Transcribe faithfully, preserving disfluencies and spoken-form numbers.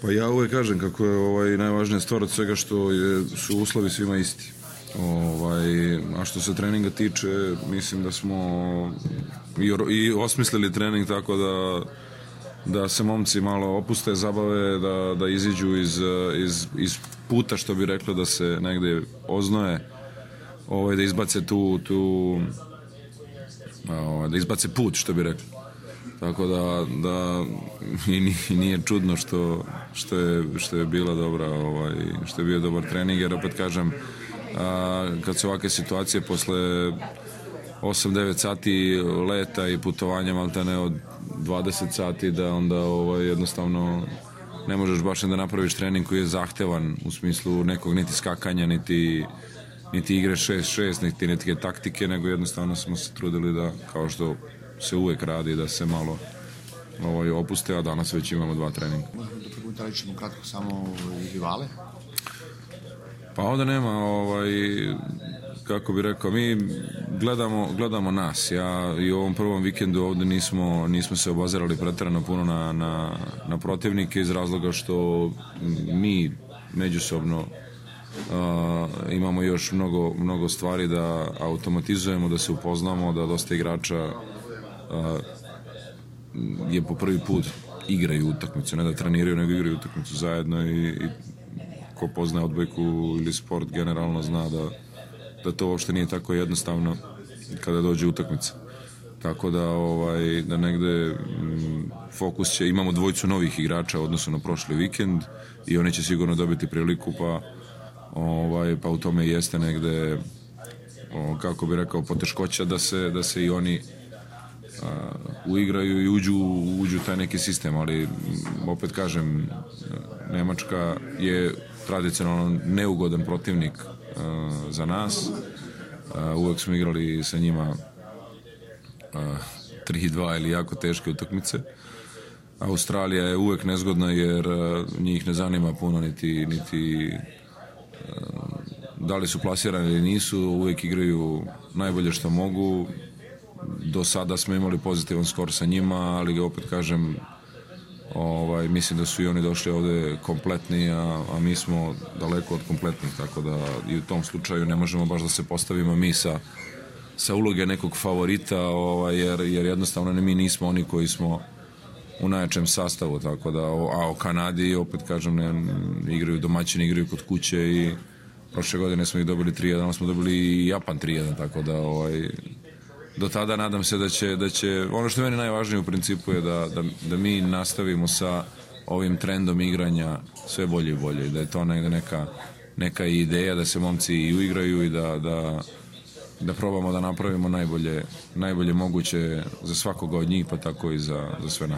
Pa ja uvek kažem kako je ovaj, najvažnija stvar od svega što je, su uslovi svima isti. Ovaj, a što se treninga tiče, mislim da smo i, i osmislili trening tako da da se momci malo opuste, zabave, da, da iziđu iz, iz, iz puta, što bi reklo, da se negde oznoje, ovaj, da izbace tu, tu ovaj, da izbace put, što bi rekli. Tako da, da i nije čudno što, što, je, što je bila dobra, ovaj, što je bio dobar trening, jer opet kažem, a, kad su ovakve situacije posle osam devet sati leta i putovanja maltene od dvadeset sati, da onda ovaj, jednostavno ne možeš baš da napraviš trening koji je zahtevan u smislu nekog niti skakanja, niti, niti igre šest šest, niti neke taktike, nego jednostavno smo se trudili da, kao što se uvek radi, da se malo ovaj, opuste, a danas već imamo dva treninga. Možemo da prokomentarišemo kratko samo rivale? Pa ovde nema, ovaj, kako bi rekao, mi gledamo, gledamo nas. Ja i u ovom prvom vikendu ovde nismo, nismo se obazirali preterano puno na, na, na protivnike iz razloga što mi međusobno uh, imamo još mnogo, mnogo stvari da automatizujemo, da se upoznamo, da dosta igrača uh, je po prvi put igraju utakmicu, ne da treniraju, nego igraju utakmicu zajedno i, i ko poznaje odbojku ili sport generalno zna da, da to uopšte nije tako jednostavno kada dođe utakmica. Tako da, ovaj, da negde m, fokus će, imamo dvojicu novih igrača u odnosu na prošli vikend i oni će sigurno dobiti priliku, pa, ovaj, pa u tome jeste negde, o, kako bi rekao, poteškoća da se, da se i oni a, uigraju i uđu, uđu taj neki sistem, ali opet kažem, Nemačka je tradicionalno neugodan protivnik uh, za nas. Uh, uvek smo igrali sa njima uh, tri dva ili jako teške utakmice. Australija je uvek nezgodna jer uh, njih ne zanima puno niti, niti uh, da li su plasirani ili nisu, uvek igraju najbolje što mogu. Do sada smo imali pozitivan skor sa njima, ali ga opet kažem, Ovaj, mislim da su i oni došli ovde kompletni, a, a mi smo daleko od kompletnih, tako da i u tom slučaju ne možemo baš da se postavimo mi sa, sa uloge nekog favorita, ovaj, jer, jer jednostavno ne, mi nismo oni koji smo u najjačem sastavu, tako da, a o Kanadi opet kažem, ne, igraju domaćini, igraju kod kuće i prošle godine smo ih dobili tri jedan, smo dobili i Japan tri jedan, tako da ovaj, do tada nadam se da će, da će, ono što je meni najvažnije u principu je da, da, da mi nastavimo sa ovim trendom igranja sve bolje i bolje i da je to negde neka, neka ideja da se momci i uigraju i da, da, da probamo da napravimo najbolje, najbolje moguće za svakoga od njih, pa tako i za, za sve nas.